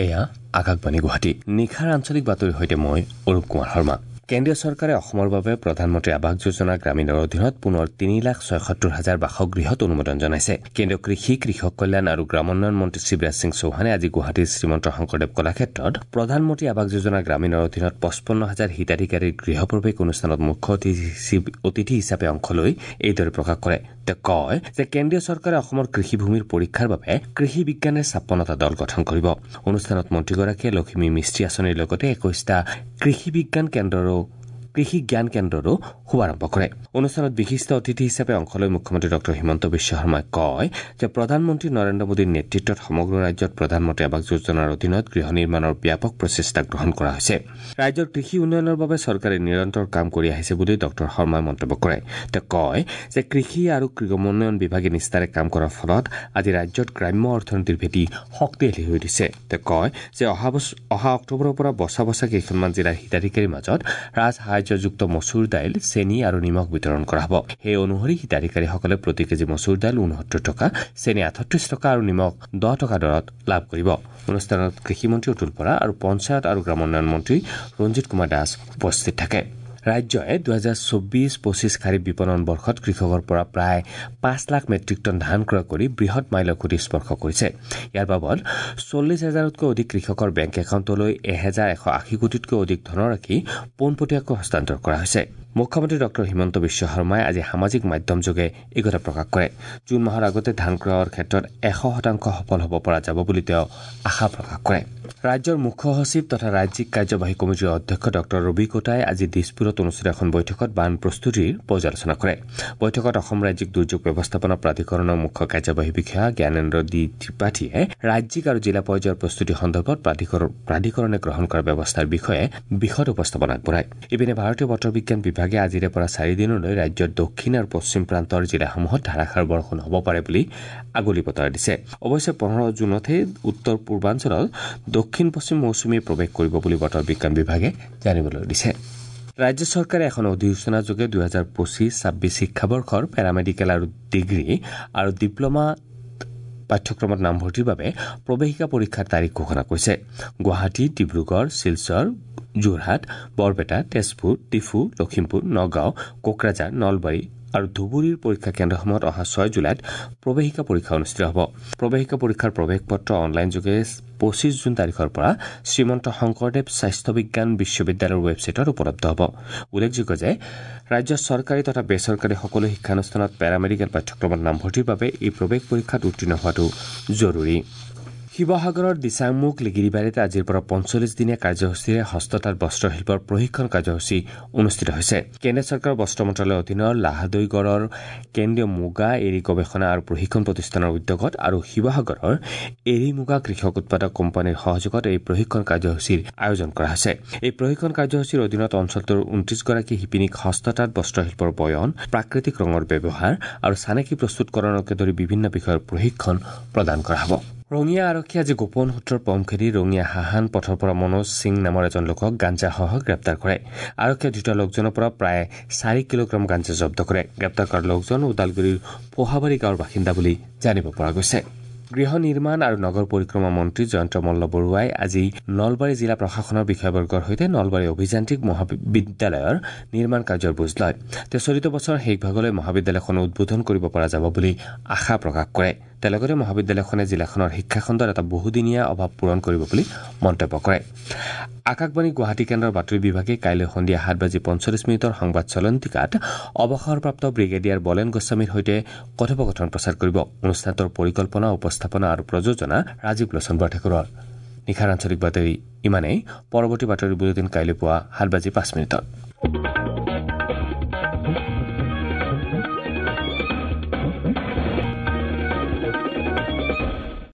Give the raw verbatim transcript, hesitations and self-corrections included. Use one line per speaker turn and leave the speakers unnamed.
এয়া আকাশবাণী গুৱাহাটী। নিশাৰ আঞ্চলিক বাতৰিৰ সৈতে মই অৰূপ কুমাৰ শৰ্মা। কেন্দ্ৰীয় চৰকাৰে অসমৰ বাবে প্ৰধানমন্ত্ৰী আৱাস যোজনা গ্ৰামীণৰ অধীনত পুনৰ তিনি লাখ ছয়সত্তৰ হাজাৰ বাসগৃহত অনুমোদন জনাইছে। কেন্দ্ৰীয় কৃষি, কৃষক কল্যাণ আৰু গ্ৰামোন্নয়ন মন্ত্ৰী শিৱৰাজ সিং চৌহানে আজি গুৱাহাটীৰ শ্ৰীমন্ত শংকৰদেৱ কলাক্ষেত্ৰত প্ৰধানমন্ত্ৰী আৱাস যোজনা গ্ৰামীণৰ অধীনত পঁচপন্ন হাজাৰ হিতাধিকাৰীৰ গৃহপ্ৰৱেশ অনুষ্ঠানত মুখ্য অতিথি হিচাপে অংশ লৈ এইদৰে প্ৰকাশ কৰে। তেওঁ কয় যে কেন্দ্ৰীয় চৰকাৰে অসমৰ কৃষিভূমিৰ পৰীক্ষাৰ বাবে কৃষি বিজ্ঞানৰ ছাপন্নটা দল গঠন কৰিব। অনুষ্ঠানত মন্ত্ৰীগৰাকীয়ে লখিমী মিস্ত্ৰী আঁচনিৰ লগতে একৈশটা কৃষি বিজ্ঞান কেন্দ্ৰৰো কৃষি জ্ঞান কেন্দ্ৰৰো শুভাৰম্ভ কৰে। অনুষ্ঠানত বিশিষ্ট অতিথি হিচাপে অংশ লৈ মুখ্যমন্ত্ৰী ডঃ হিমন্ত বিশ্ব শৰ্মাই কয় যে প্ৰধানমন্ত্ৰী নৰেন্দ্ৰ মোদীৰ নেতৃত্বত সমগ্ৰ ৰাজ্যত প্ৰধানমন্ত্ৰী আৱাস যোজনাৰ অধীনত গৃহ নিৰ্মাণৰ ব্যাপক প্ৰচেষ্টা গ্ৰহণ কৰা হৈছে। ৰাজ্যৰ কৃষি উন্নয়নৰ বাবে চৰকাৰে নিৰন্তৰ কাম কৰি আহিছে বুলি ডঃ শৰ্মাই মন্তব্য কৰে। তেওঁ কয় যে কৃষি আৰু গ্ৰামোন্নয়ন বিভাগে নিষ্ঠাৰে কাম কৰাৰ ফলত আজি ৰাজ্যত গ্ৰাম্য অৰ্থনীতিৰ ভেটি শক্তিশালী হৈ উঠিছে। তেওঁ কয় যে অহা বছৰ অহা অক্টোবৰৰ পৰা বছা বছা কেইখনমান জিলাৰ হিতাধিকাৰীৰ মাজত ৰাজসাহায্যযুক্ত মচুৰ দাইল, চেনি আৰু নিমখ বিতৰণ কৰা হ'ব। সেই অনুসৰি হিতাধিকাৰীসকলে প্ৰতি কেজি মচুৰ দাইল ঊনসত্তৰ টকা, চেনি আঠত্ৰিশ টকা আৰু নিমখ দহ টকা দৰত লাভ কৰিব। অনুষ্ঠানত কৃষিমন্ত্ৰী অতুল বৰা আৰু পঞ্চায়ত আৰু গ্ৰামোন্নয়ন মন্ত্ৰী ৰঞ্জিত কুমাৰ দাস উপস্থিত থাকে। ৰাজ্যই দুহেজাৰ চৌব্বিছ পঁচিছ খাৰিফ বিপণন বৰ্ষত কৃষকৰ পৰা প্ৰায় পাঁচ লাখ মেট্ৰিক টন ধান ক্ৰয় কৰি বৃহৎ মাইলৰ খুঁটি স্পৰ্শ কৰিছে। ইয়াৰ বাবদ চল্লিছ হাজাৰতকৈ অধিক কৃষকৰ বেংক একাউণ্টলৈ এহেজাৰ এশ আশী কোটিতকৈ অধিক ধনৰাশি পোনপটীয়াকৈ হস্তান্তৰ কৰা হৈছে। মুখ্যমন্ত্ৰী ডঃ হিমন্ত বিশ্ব শৰ্মাই আজি সামাজিক মাধ্যমযোগে এই কথা প্ৰকাশ কৰে। জুন মাহৰ আগতে ধান ক্ৰয়ৰ ক্ষেত্ৰত এশ শতাংশ সফল হ'ব পৰা যাব বুলি তেওঁ আশা প্ৰকাশ কৰে। ৰাজ্যৰ মুখ্য সচিব তথা ৰাজ্যিক কাৰ্যবাহী কমিটিৰ অধ্যক্ষ ডঃ ৰবি কোটাই আজি দিছপুৰত অনুষ্ঠিত এখন বৈঠকত বান প্ৰস্তুতিৰ পৰ্যালোচনা কৰে। বৈঠকত অসম ৰাজ্যিক দুৰ্যোগ ব্যৱস্থাপনা প্ৰাধিকৰণৰ মুখ্য কাৰ্যবাহী বিষয়া জ্ঞানেন্দ্ৰ ডি ত্ৰিপাঠীয়ে ৰাজ্যিক আৰু জিলা পৰ্যায়ৰ প্ৰস্তুতি সন্দৰ্ভত প্ৰাধিকৰণে গ্ৰহণ কৰা ব্যৱস্থাৰ বিষয়ে বিশদ উপস্থাপন আগবঢ়ায়। ইপিনে ভাৰতীয় বতৰ বিজ্ঞান বিভাগে আজিৰে পৰা চাৰিদিনলৈ ৰাজ্যৰ দক্ষিণ আৰু পশ্চিম প্ৰান্তৰ জিলাসমূহত ধাৰাসাৰ বৰষুণ হ'ব পাৰে বুলি আগলি বতৰা দিছে। অৱশ্যে পোন্ধৰ জুনতহে উত্তৰ পূৰ্বাঞ্চলত দক্ষিণ পশ্চিম মৌচুমীয়ে প্ৰৱেশ কৰিব বুলি বতৰ বিজ্ঞান বিভাগে জানিবলৈ দিছে। ৰাজ্য চৰকাৰে এখন অধিসূচনাযোগে দুহেজাৰ পঁচিছ ছাব্বিছ শিক্ষাবৰ্ষৰ পেৰামেডিকেল আৰু ডিগ্ৰী আৰু ডিপ্লমা পাঠ্যক্ৰমত নামভৰ্তিৰ বাবে প্ৰৱেশিকা পৰীক্ষাৰ তাৰিখ ঘোষণা কৰিছে। গুৱাহাটী, ডিব্ৰুগড়, শিলচৰ, যোৰহাট, বৰপেটা, তেজপুৰ, ডিফু, লখিমপুৰ, নগাঁও, কোকৰাঝাৰ, নলবাৰী আৰু ধুবুৰীৰ পৰীক্ষা কেন্দ্ৰসমূহত অহা ছয় জুলাইত প্ৰৱেশিকা পৰীক্ষা অনুষ্ঠিত হ'ব। প্ৰৱেশিকা পৰীক্ষাৰ প্ৰৱেশ পত্ৰ অনলাইনযোগে পঁচিছ জুন তাৰিখৰ পৰা শ্ৰীমন্ত শংকৰদেৱ স্বাস্থ্য বিজ্ঞান বিশ্ববিদ্যালয়ৰ ৱেবছাইটত উপলব্ধ হ'ব। উল্লেখযোগ্য যে ৰাজ্যৰ চৰকাৰী তথা বেচৰকাৰী সকলো শিক্ষানুষ্ঠানত পেৰামেডিকেল পাঠ্যক্ৰমত নামভৰ্তিৰ বাবে এই প্ৰৱেশ পৰীক্ষাত উত্তীৰ্ণ হোৱাটো জৰুৰী। শিৱসাগৰৰ দিচাংমুখ লিগিৰিবাৰীত আজিৰ পৰা পঞ্চল্লিছ দিনীয়া কাৰ্যসূচীৰে হস্ততাঁত বস্ত্ৰশিল্পৰ প্ৰশিক্ষণ কাৰ্যসূচী অনুষ্ঠিত হৈছে। কেন্দ্ৰীয় চৰকাৰৰ বস্ত্ৰ মন্ত্ৰালয়ৰ অধীনৰ লাহাদৈগড়ৰ কেন্দ্ৰীয় মুগা এৰী গৱেষণা আৰু প্ৰশিক্ষণ প্ৰতিষ্ঠানৰ উদ্যোগত আৰু শিৱসাগৰৰ এৰী মুগা কৃষক উৎপাদক কোম্পানীৰ সহযোগত এই প্ৰশিক্ষণ কাৰ্যসূচীৰ আয়োজন কৰা হৈছে। এই প্ৰশিক্ষণ কাৰ্যসূচীৰ অধীনত অঞ্চলটোৰ ঊনত্ৰিছগৰাকী শিপিনীক হস্ততাঁত বস্ত্ৰশিল্পৰ বয়ন, প্ৰাকৃতিক ৰঙৰ ব্যৱহাৰ আৰু চানেকি প্ৰস্তুতকৰণকে ধৰি বিভিন্ন বিষয়ৰ প্ৰশিক্ষণ প্ৰদান কৰা হ'ব। ৰঙিয়া আৰক্ষীয়ে আজি গোপন সূত্ৰৰ পম খেদি ৰঙিয়া হাহান পথৰ পৰা মনোজ সিং নামৰ এজন লোকক গাঞ্জাসহ গ্ৰেপ্তাৰ কৰে। আৰক্ষীয়ে ধৃত লোকজনৰ পৰা প্ৰায় চাৰি কিলোগ্ৰাম গাঞ্জা জব্দ কৰে। গ্ৰেপ্তাৰ কৰা লোকজন ওদালগুৰিৰ পোহাবাৰী গাঁৱৰ বাসিন্দা বুলি জানিব পৰা গৈছে। গৃহ নিৰ্মাণ আৰু নগৰ পৰিক্ৰমা মন্ত্ৰী জয়ন্ত মল্ল বৰুৱাই আজি নলবাৰী জিলা প্ৰশাসনৰ বিষয়াবৰ্গৰ সৈতে নলবাৰী অভিযান্ত্ৰিক মহাবিদ্যালয়ৰ নিৰ্মাণ কাৰ্যৰ বুজ লয়। তেওঁ চলিত বছৰৰ শেষ ভাগলৈ মহাবিদ্যালয়খন উদ্বোধন কৰিব পৰা যাব বুলি আশা প্ৰকাশ কৰে। তেওঁ লগতে মহাবিদ্যালয়খনে জিলাখনৰ শিক্ষাখণ্ডৰ এটা বহুদিনীয়া অভাৱ পূৰণ কৰিব বুলি মন্তব্য কৰে। আকাশবাণী গুৱাহাটী কেন্দ্ৰৰ বাতৰি বিভাগে কাইলৈ সন্ধিয়া সাত বাজি পঞ্চল্লিছ মিনিটৰ সংবাদ চলন্তিকাত অৱসৰপ্ৰাপ্ত ব্ৰিগেডিয়াৰ বলেন গোস্বামীৰ সৈতে কথোপকথন প্ৰচাৰ কৰিব। অনুষ্ঠানটোৰ পৰিকল্পনা, উপস্থাপনা আৰু প্ৰযোজনা ৰাজীৱ লোচন বৰঠাকুৰৰ। নিশাৰ আঞ্চলিক বাতৰি ইমানেই। পৰৱৰ্তী বাতৰি বুলেটিন কাইলৈ পুৱা সাত বাজি পাঁচ মিনিটত।